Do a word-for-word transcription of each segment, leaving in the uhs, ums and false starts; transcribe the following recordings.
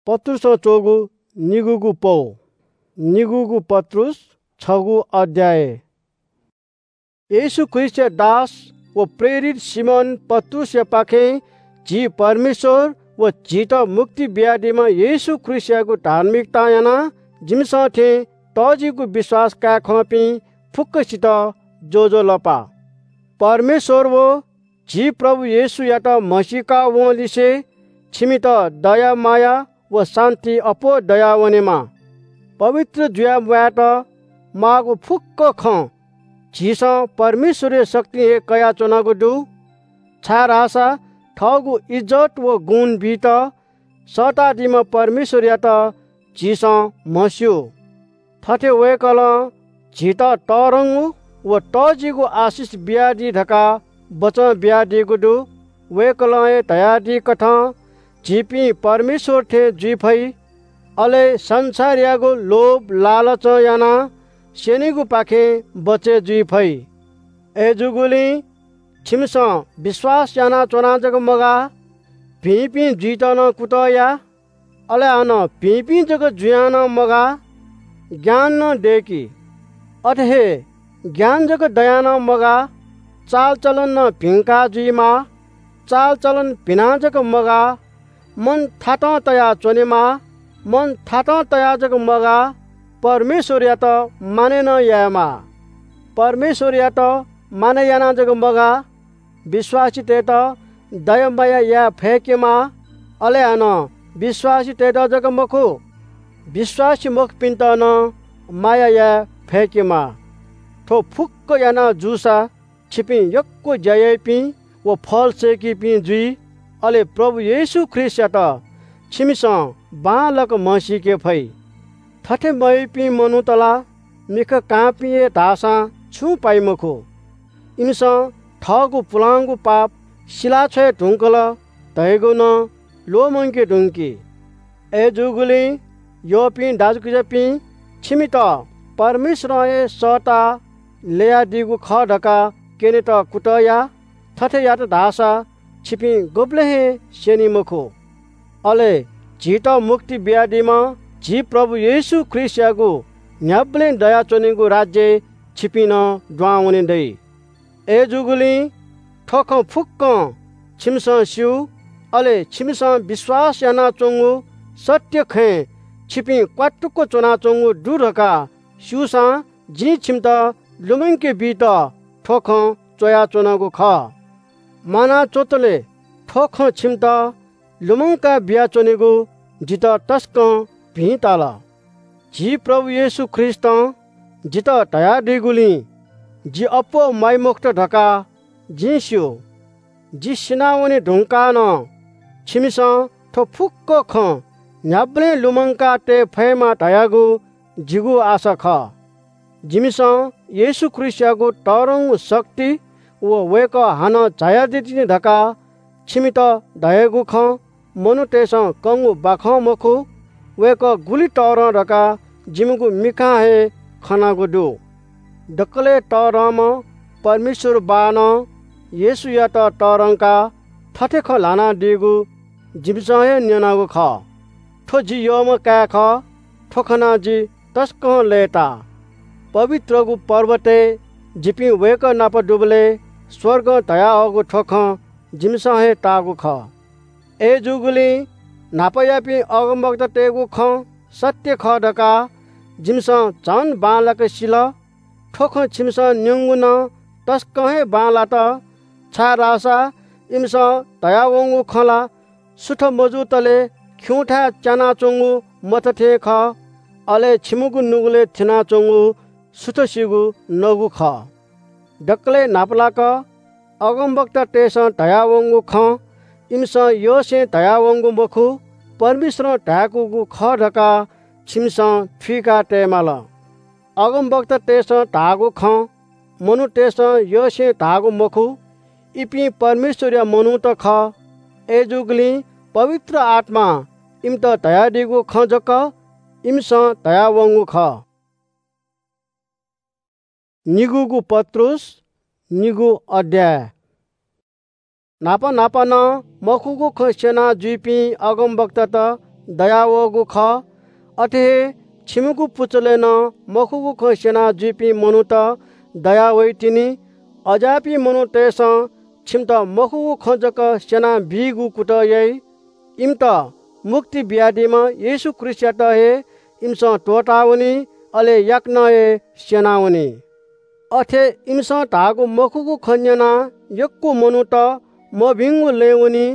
पत्रुसं च्वःगु निगूगु पौ। निगूगु पत्रुस, छगू अध्याय। येशू ख्रीष्टया दास व प्रेरित सिमोन पत्रुसयापाखें झी परमेश्वर व झीत मुक्ति बियादीम्ह येशू ख्रीष्टयागु धार्मिकतां यानाः जिमिसं थें तःजिगु विश्वास काये खंपिं फुक्कसित ज्वजलपा। परमेश्वर व झी प्रभु येशूयात म्हसीका वंलिसे छिमित दया माया व शान्ति अप्वः दयावनेमा। पवित्र जुया म्वायेत माःगु फुक्क खँ झीसं परमेश्वरया शक्तिं हे कयाच्वनागु दु, छाय्धाःसा थःगु इज्जत व गुण बीत सःतादीम्ह परमेश्वरयात झीसं म्हस्यू। थथे वय्कलं झीत तःधंगु व तःजिगु आशिष बियादी धकाः बचं बियादीगु दु। वय्कलं हे धयादीकथं झीपिं परमेश्वर थें जुइ फइ, अले संसारयागु लोभ लालचं यानाः स्यनीगुपाखें बचय् जुइ फइ। अय्जूगुलिं छिमिसं विश्वास यानाच्वनाः जक मगाः, भिंपिं जुइत नं कुतः या। अले हानं भिंपिं जक जुयां नं मगाः, ज्ञान नं दय्कि। अथे हे ज्ञान जक दयां नं मगाः, चालचलन नं भिंका जुइमाः। चालचलन भिनां जक मगाः, मन थातं तयाः च्वनेमाः। मन थातं तयाः जक मगाः, परमेश्वरयात मानय् नं यायेमाः। परमेश्वरयात मानय् यानाः जक मगाः, विश्वासीतय्त दया माया याये फय्केमाः। अले हानं विश्वासीतय्त जक मखु, विश्वासी मखुपिन्त नं माया याये फय्केमाः। थ्व फुक्क याना जूसा छिपिं यक्व ज्या याइपिं व फल सय्कीपिं जुइ। अले प्रभु येशू ख्रीष्टयात छिमिसं बांलाक म्हसीके फइ। थथे मयाइपिं मनूत ला मिखा कांपिं हे धाःसां छुं पाइ मखु। इमिसं थःगु पुलांगु पाप सिलाछ्वये धुंकल धइगु नं ल्वःमंके धुंकी। अय्जूगुलिं यःपिं दाजुकिजापिं, छिमित परमेश्वरं हे सःताः ल्ययादीगु खः धकाः क्यनेत कुतः या। थथे यात धाःसा छिपिं गुबलें हे स्यनी मखु। अले झीत मुक्ति बियादीम्ह झी प्रभु येशू ख्रीष्टयागु न्ह्याबलें दयाच्वनीगु राज्यय् छिपिं नं दुहां वने दइ। अय्जूगुलिं थ्व खँ फुक्कं छिमिसं स्यू, अले छिमिसं विश्वास यानाच्वंगु सत्य खँय् छिपिं क्वातुक च्वनाच्वंगु दु धकाः स्यूसां जिं छिमित लुमंके बीत थ्व खँ च्वयाच्वनागु खः। म्वाना च्वतले थ्व खँ छिमित लुमंका बियाच्वनेगु जितः तसकं भिं ताल। झी प्रभु येशू ख्रीष्टं जितः धयादीगुलिं जि अप्वः म्वाइ मखुत धकाः जिं स्यू। जि सिनावने धुंकाः नं छिमिसं थ्व फुक्क खँ न्ह्याबलें लुमंका तये फयेमा धयागु जिगु आशा खः। जिमिसं येशू ख्रीष्टयागु तःधंगु शक्ति व वय्कः हानं झायादीतिनि धकाः छिमित धयागु खँ मनूतय्सं कंगु बाखं मखु, वय्कः गुलि तःधं धकाः जिमिगु मिखां हे खनागु दु। दकलय् तःधंम्ह परमेश्वर बाःनं येशूयात तःधंकाः थथे खँ ल्हानादीगु जिमिसं हे न्यनागु खः। थ्व जि यःम्ह काय् खः। थ्व खनाः जि तसकं लय्ताः। पवित्रगु पर्वतय् जिपिं वय्कः नाप दुबलय् स्वर्गं धयाहःगु थ्व खँ जिमिसं हे ताःगु खः। अय्जूगुलिं न्हापायापिं अगमवक्तातय्गु खँ सत्य खः धकाः जिमिसं झन बांलाक सिल। थ्व खँ छिमिसं न्यंगु नं तसकं हे बांलात, छाय्धाःसा इमिसं धयावंगु खँ ला सुथ मजूतले खिउँथाय् च्यानाच्वंगु मत थें खः, अले छिमिगु नुगलय् थ्यनाच्वंगु सुथसिगु नगु खः। दकलय् न्हापालाक अगमवक्तातय्सं धयावंगु खँ इमिसं यःसें धयावंगु मखु, परमेश्वरं धाय्कूगु खः धकाः छिमिसं थुइका तयेमाल। अगमवक्तातय्सं धाःगु खँ मनूतय्सं यःसें धाःगु मखु, इपिं परमेश्वरया मनूत खः। अय्जूगुलिं पवित्र आत्मां इमित धयादीगु खँ जक इमिसं धयावंगु खः। निगूगु पत्रुस, निगू अध्याय। न्हापा न्हापा नं मखुगु खँ स्यना जुइपिं अगमवक्तात दयावःगु खः। अथे हे छिमिगु पुचलय् नं मखुगु खँ स्यना जुइपिं मनूत दयावइतिनि। अज्याःपिं मनूतय्‌सं छिमित मखुगु खँ जक स्यना बीगु कुतः याइ। इमित मुक्ति बियादीम्ह येशू ख्रीष्टयात हे इमिसं त्वःतावनी, अले याकनं हे स्यनावनी। अथे इमिसं धाःगु मखुगु खँ न्यनाः यक्व मनूत मभिंगु लँय् वनी।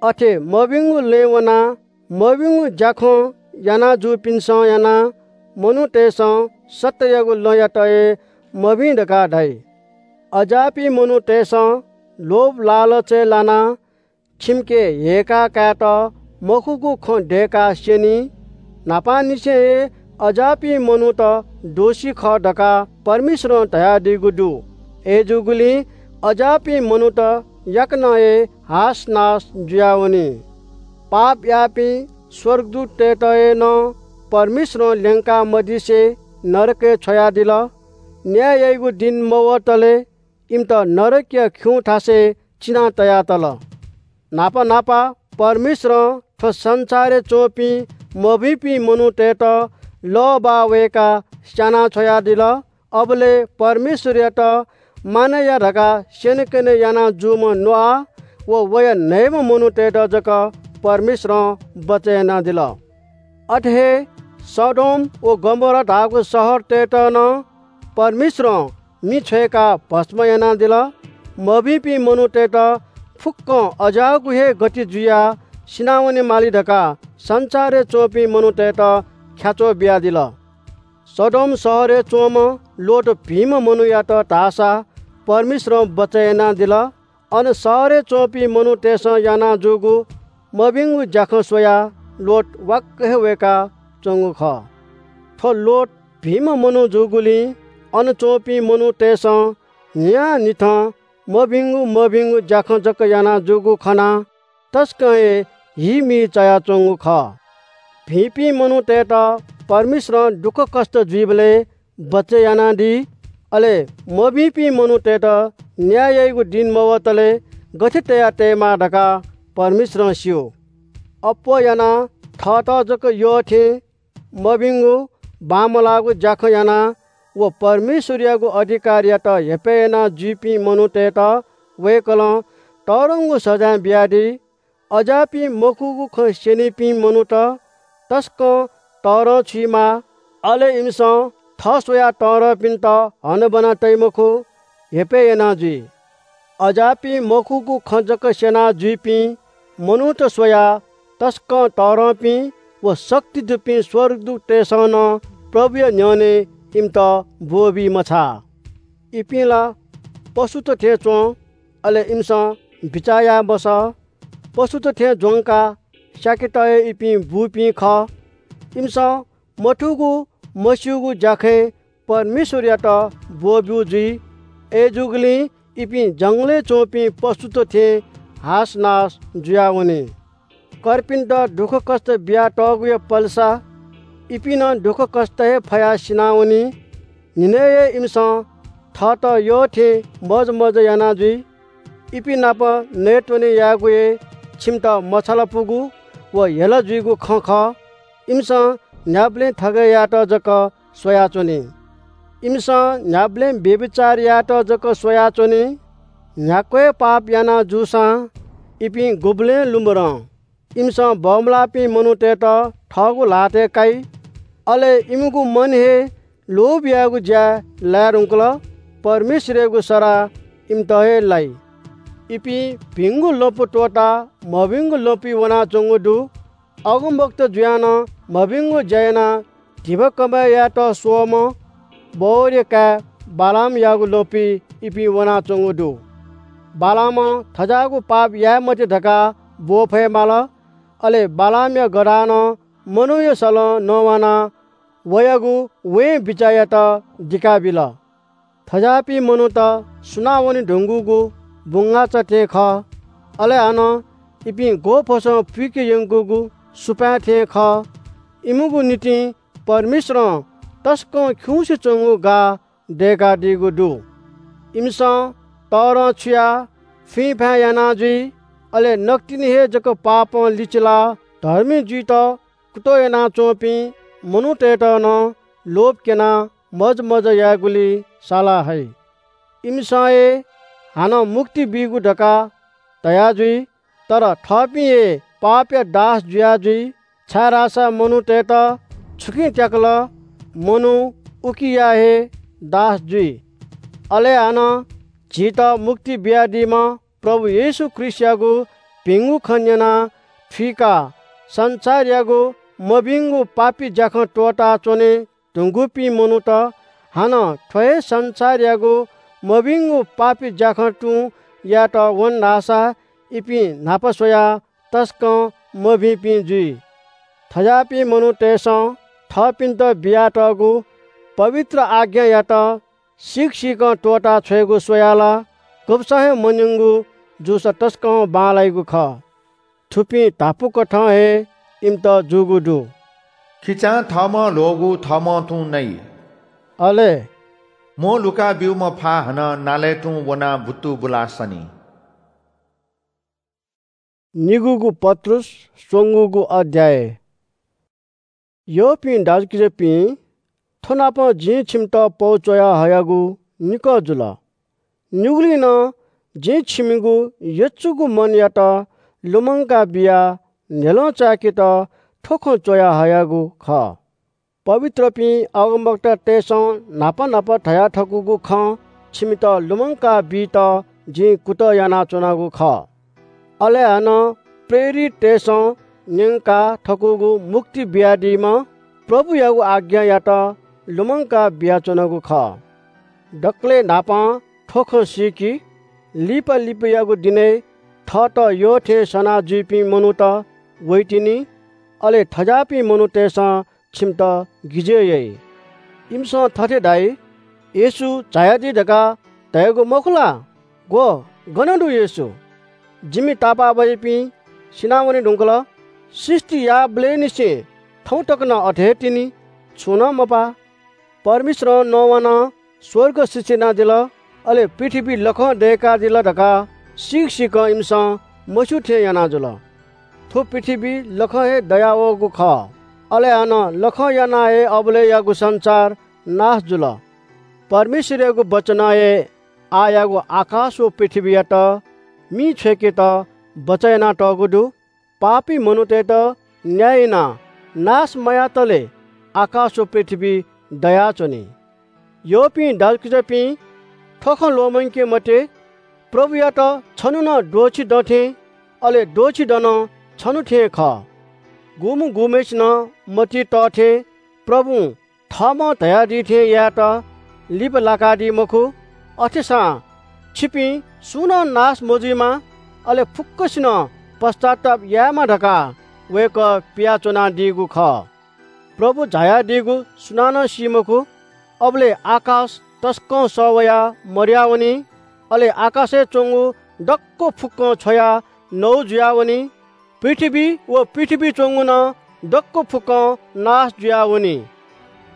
अथे मभिंगु लँय् वनाः मभिंगु ज्याखँ याना जूपिन्सं यानाः मनूतय्‌सं सत्‍ययागु लँयात हे मभिं धकाः धाइ। अज्याःपिं मनूतय्‌सं लोभ लालचय् लानाः छिमिके हेय्‌का कायेत मखुगु खँ दय्‌काः स्यनी। न्‍हापांनिसें हे अज्याःपिं मनूत दोषी खः धकाः परमेश्‍वरं धयादीगु दु। अय्‌जूगुलिं अज्याःपिं मनूत याकनं हे हास नास जुयावनी। पाप याःपिं स्‍वर्गदूततय्‌त हे नं परमेश्‍वरं ल्‍यंका मदिसे नरकय् छ्वयादिल। न्‍याय याइगु दिं मवतले इमित नरकया खिउँ थासय् चिना तयातल। न्‍हापा न्‍हापा परमेश्‍वरं थ्‍व संसारय् च्‍वंपिं मभिंपिं मनूतय्‌त लःबाः वय्‌काः स्‍याना छ्वयादिल। अबलय् परमेश्‍वरयात मानय् या धकाः स्‍यनेकने याना जूम्‍ह नोआ व वया न्‍हय्‌म्‍ह मनूतय्‌त जक परमेश्‍वरं बचय् यानादिल। अथे हे सदोम व गमोरा धाःगु शहरतय्‌त नं परमेश्‍वरं मि छ्वय्‌काः भस्‍म यानादिल। मभिंपिं मनूतय्‌त फुक्‍कं अज्‍याःगु हे गति जुयाः सिनावने माली धकाः संसारय् च्‍वंपिं मनूतय्‌त ख्‍याच्‍वः बियादिल। सदोम शहरय् च्‍वंम्‍ह लोत भिंम्‍ह मनूयात धाःसा परमेश्‍वरं बचय् यानादिल। अन शहरय् च्‍वंपिं मनूतय्‌सं याना जूगु मभिंगु ज्‍याखँ स्वयाः लोत वाक्‍क हे वय्‌का च्‍वंगु खः। थ्‍व लोत भिंम्‍ह मनू जूगुलिं अन च्‍वंपिं मनूतय्‌सं न्‍हियान्‍हिथं मभिंगु मभिंगु ज्‍याखँ जक याना जूगु खनाः तसकं हे हीमी चायाच्‍वंगु खः। भिंपिं मनूतय्‌त परमेश्‍वरं दुःखकष्‍ट जुइबलय् बचय् यानादी। अले मभिंपिं मनूतय्‌त न्‍याय याइगु दिं मवतले गथे तया तयेमाः धकाः परमेश्‍वरं स्‍यू। अप्‍वः यानाः थःत जक यः थें मभिंगु बांमलाःगु ज्‍याखँ यानाः व परमेश्‍वरयागु अधिकारयात हेपय् याना जुइपिं मनूतय्‌त वय्‌कलं तःधंगु सजाँय बियादी। अज्‍याःपिं मखुगु खँ स्‍यनीपिं मनूत तसकं तःधं छुइमाः। अले इमिसं थः स्वयाः तःधंपिन्‍त हनाबना तइ मखु, हेपय् याना जुइ। अज्‍याःपिं मखुगु खँ जक स्‍यना जुइपिं मनूत स्वयाः तसकं तःधंपिं व शक्ति दुपिं स्‍वर्गदूततय्‌सं नं प्रभुया न्‍ह्यःने इमित ब्‍वःबी मछाः। इपिं ला पशुत थें च्‍वं, अले इमिसं बिचाः याये मसः। पशुत थें ज्‍वंकाः स्‍याकेत हे इपिं बूपिं खः। इमिसं मथूगु मस्‍यूगु ज्‍याखँय् परमेश्‍वरयात ब्‍वःब्‍यू जुइ। अय्‌जूगुलिं इपिं जंगलय् च्‍वंपिं पशुत थें हास नास जुयावनी। कर्पिन्‍त दुःखकष्‍ट बियातःगुया पलेसा इपिं नं दुःखकष्‍ट हे फयाः सिनावनी। न्‍हिनय् हे इमिसं थःत यः थें मजमज याना जुइ। इपिं नाप नयेत्‍वने यायेगु हे छिमित मछालापुगु व हेला जुइगु खँ खः। इमिसं न्‍ह्याबलें थगय् यायेत जक स्वयाच्‍वनी। इमिसं न्‍ह्याबलें व्‍यभिचार यायेत जक स्वयाच्‍वनी। न्‍ह्याक्‍व हे पाप याना जूसां इपिं गुबलें लुमधं। इमिसं बमलाःपिं मनूतय्‌त थःगु ल्‍हातय् काइ। अले इमिगु मन हे लोभ यायेगु ज्‍याय् लाये धुंकल। परमेश्‍वरयागु सराः इमित हे लाइ। इपिं भिंगु लँपु त्‍वःताः मभिंगु लँपुइ वनाच्‍वंगु दु। अगमवक्ता जुयाः नं मभिंगु ज्‍या यानाः धिबा कमय् यायेत स्‍वःम्‍ह बओरया काय् बालामयागु लँपुइ इपिं वनाच्‍वंगु दु। बालामं थज्‍याःगु पाप याये मते धकाः ब्‍वःफये माल। अले बालामया गधानं मनूया सलं नवानाः वयागु वें बिचाःयात दिकाबिल। थज्‍याःपिं मनूत सुनावने धुंकूगु बुंगाःचा थें खः। अले हानं इपिं ग्‍वःफसं पुइके यंकूगु सुपाँय् थें खः। इमिगु निंतिं परमेश्‍वरं तसकं खिउँसे च्‍वंगु गाः दय्‌कादीगु दु। इमिसं तःधं छुयाः फुइँफाँय् याना जुइ। अले नकतिनि हे जक पापं लिचिलाः धर्मी जुइत कुतः यानाच्वंपिं मनूतय्‌त नं लोभ क्यनाः मजमजा यायेगुलिइ साला हइ। इमिसं हे हानं मुक्ति बीगु धकाः धया जुइ, तर थःपिं हे पापया दास जुया जुइ, छाय्‌धाःसा मनूतय्‌त छुकिं त्याकल, मनू उकिया हे दास जुइ। अले हानं झीत मुक्ति बियादीम्ह प्रभु येशू ख्रीष्टयागु भिंगु खँ न्यनाः थुइकाः संसारयागु मभिंगु पापी ज्‍याखँ त्‍वःताच्‍वने धुंकूपिं मनूत हानं थ्‍व हे संसारयागु मभिंगु पापी ज्‍याखँ तुं यायेत वन धाःसा इपिं न्‍हापा स्‍वयाः तसकं मभिंपिं जुइ। थज्‍याःपिं मनूतय्‌सं थःपिन्‍त बियातःगु पवित्र आज्ञायात सीक सीकं त्‍वःता छ्वयेगु स्‍वयाः ला गबसं हे मन्‍यंगु जूसा तसकं बांलाइगु खः। थुपिं धापू कथं हे इमित जूगु दु। खिचां थःम्‍हं ल्‍ह्‍वःगु थःम्‍हं तुं नइ। अले म्‍ह लुका ब्‍यूम्‍ह फा हानं नालय् तुं वनाः बुत्तु बुलाः सनी। निगूगु पत्रुस, स्वंगूगु अध्‍याय। यःपिं दाजुकिजापिं, थ्‍व नापं जिं छिमित पौ च्‍वया हयागु निकः जुल। निगुलिं नं जिं छिमिगु यचुगु मनयात लुमंका बियाः न्‍ह्यलं चाय्‌केत थ्‍व खँ च्‍वया हयागु खः। पवित्रपिं अगमवक्तातय्‌सं न्‍हापा न्‍हापा धया थकूगु खँ छिमित लुमंका बीत जिं कुतः यानाच्‍वनागु खः। अले हानं प्रेरिततय्‌सं न्‍यंका थकूगु मुक्ति बियादीम्‍ह प्रभुयागु आज्ञायात लुमंका बियाच्‍वनागु खः। दकलय् न्‍हापां थ्‍व खँ सीकि, लिपा लिपायागु दिनय् थःत यः थें सना जुइपिं मनूत वइतिनि, अले थज्‍याःपिं मनूतय्‌सं छिमित गिजय् याइ। इमिसं थथे धाइ, येशू झायादी धकाः धयागु मखु ला? ग्‍व, गन दु येशू? जिमि तापाःबाज्‍यापिं सिनावने धुंकल। सृष्‍टि याःबलय्‌निसें थौं तक नं अथे हे तिनि, छुं नं मपाः। परमेश्‍वरं नोआवानं स्‍वर्ग सृष्‍टि यानादिल, अले पृथ्‍वी लखं दय्‌कादिल धकाः सीक सीकं इमिसं मस्‍यू थें याना जुल। थ्‍व पृथ्‍वी लखं हे दयावःगु खः। अले हानं लखं यानाः हे अबलय्‌यागु संसार नाश जुल। परमेश्‍वरयागु वचनं हे आःयागु आकाश व पृथ्‍वीयात मिइ छ्वय्‌केत बचय् यानातःगु दु। पापी मनूतय्‌त न्‍याय यानाः नाश मयातले आकाश व पृथ्‍वी दयाच्‍वनी। यःपिं दाजुकिजापिं, थ्‍व खँ ल्‍वःमंके मते, प्रभुयात छन्‍हु नं द्वःछि दँ थें, अले द्वःछि दँ नं छन्‍हु थें खः। गुम्‍ह गुम्‍हय्‌सिनं मतिइ तः थें प्रभुं थःम्‍हं धयादी थें यायेत लिपा लाकादी मखु। अथेसां छिपिं सुं नं नाश मजुइमा, अले फुक्‍कसिनं पश्‍चाताप यायेमा धकाः वय्‌कः पियाच्‍वनादीगु खः। प्रभु झायादीगु सुनानं सी मखु। अबलय् आकाश तसकं सः वयाः मदयावनी, अले आकाशय् च्‍वंगु दक्‍व फुक्‍कं छ्वयाः नौ जुयावनी। पृथ्‍वी व पृथ्‍वीइ च्‍वंगु नं दक्‍व फुक्‍कं नाश जुयावनी।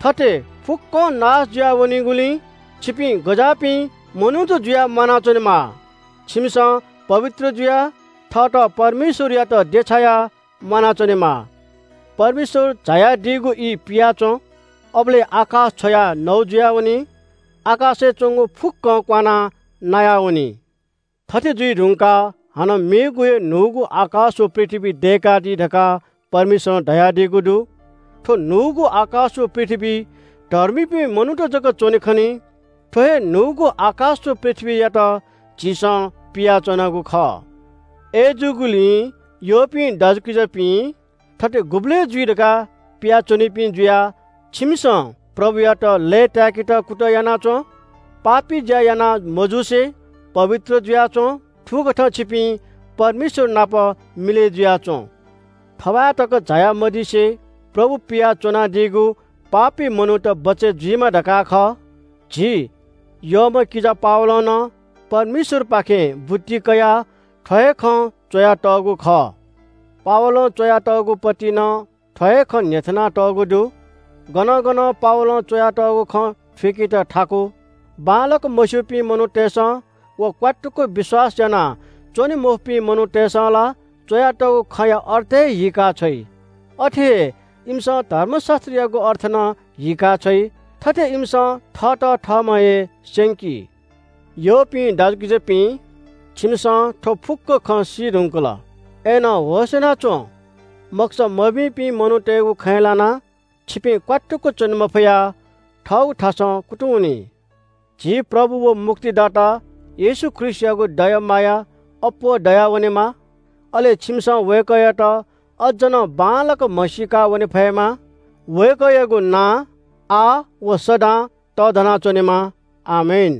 थथे फुक्‍कं नाश जुयावनीगुलिं छिपिं गज्‍याःपिं मनूत जुयाः म्‍वानाच्‍वनेमाः। छिमिसं पवित्र जुयाः थःत परमेश्‍वरयात देछायाः म्‍वानाच्‍वनेमाः। परमेश्‍वर झायादीगु ई पियाच्‍वँ। अबलय् आकाश छ्वयाः नौ जुयावनी। आकाशय् च्‍वंगु फुक्‍कं क्‍वानाः नायावनी। थथे जुइ धुंकाः हानं मेगु हे न्‍हूगु आकाश व पृथ्‍वी दय्‌कादी धकाः परमेश्‍वरं धयादीगु दु। थ्‍व न्‍हूगु आकाश व पृथ्‍वी धर्मीपिं मनूत जक च्‍वने खनी। थ्‍व हे न्‍हूगु आकाश व पृथ्‍वीयात झीसं पियाच्‍वनागु खः। अय्‌जूगुलिं यःपिं दाजुकिजापिं, थथे गुबलय् जुइ धकाः पियाच्‍वनीपिं जुयाः छिमिसं प्रभुयात लय्‌ताय्‌केत कुतः यानाच्‍वँ। पापी ज्‍या याना मजुसे पवित्र जुयाच्‍वँ। थुकथं छिपिं परमेश्‍वर नाप मिलय् जुयाच्‍वँ। थबाय् तक झायामदिसे प्रभु पियाच्‍वनादीगु पापी मनूत बचय् जुइमा धकाः खः। झी यःम्‍ह किजा पावलं नं परमेश्‍वरपाखें बुद्धि कयाः थ्‍व हे खँ च्‍वयातःगु खः। पावलं च्‍वयातःगु पति नं थ्‍व हे खँ न्‍ह्यथनातःगु दु। गनं गनं पावलं च्‍वयातःगु खँ थुइकेत थाकु। बांलाक मस्‍यूपिं मनूतय्‌सं व क्‍वात्तुक विश्‍वास यानाः च्‍वने मफुपिं मनूतय्‌सं ला च्‍वयातःगु खँया अर्थ हे हीका छ्वइ। अथे हे इमिसं धर्मशास्त्रयागु अर्थ नं हीका छ्वइ। थथे इमिसं थःत थःम्हं हे स्यंकी। यःपिं दाजुकिजापिं, छिमिसं थ्व फुक्क खँ सी धुंकल। अय्‌नं होश यानाच्वँ, मखुसा मभिंपिं मनूतय्‌गु खँय् लानाः छिपिं क्वातुक च्वने मफयाः थःगु थासं कुतुं वनी। झी प्रभु व मुक्तिदाता येशू ख्रीष्टयागु दया माया अप्वः दयावनेमा। अले छिमिसं वय्‌कःयात अज्ज नं बांलाक म्हसीका वने फयेमा। वय्‌कःयागु नां आः व सदां तःधना च्वनेमा। आमेन।